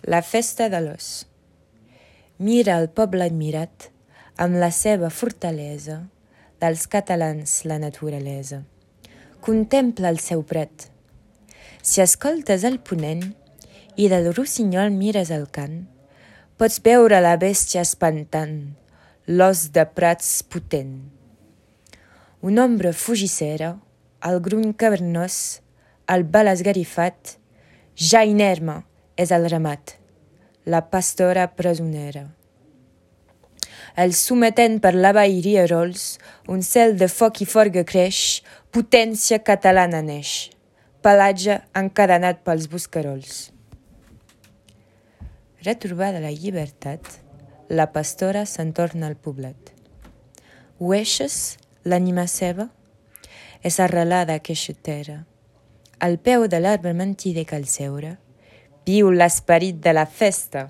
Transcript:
La festa de l'os. Mira el poble admirat, amb la seva fortalesa, dels catalans la naturalesa. Contempla el seu prat. Si escoltes el ponent i del rossinyol mires el cant, pots veure la bèstia espantant, l'os de prats potent. Una ombra fugissera, el gruny cavernós, el bal esgarifat, ja inerme és el ramat, la pastora presonera. El sometent per la vall rierols, un cel de foc i forga creix, potència catalana neix, pelatge encadenat pels buscarols. Retrobada la llibertat, la pastora se'n torna al poblet. Hueixes l'ànima seva? És arrelada queixotera. Al peu de l'arbre mentider cal seure, viu l'esperit de la festa.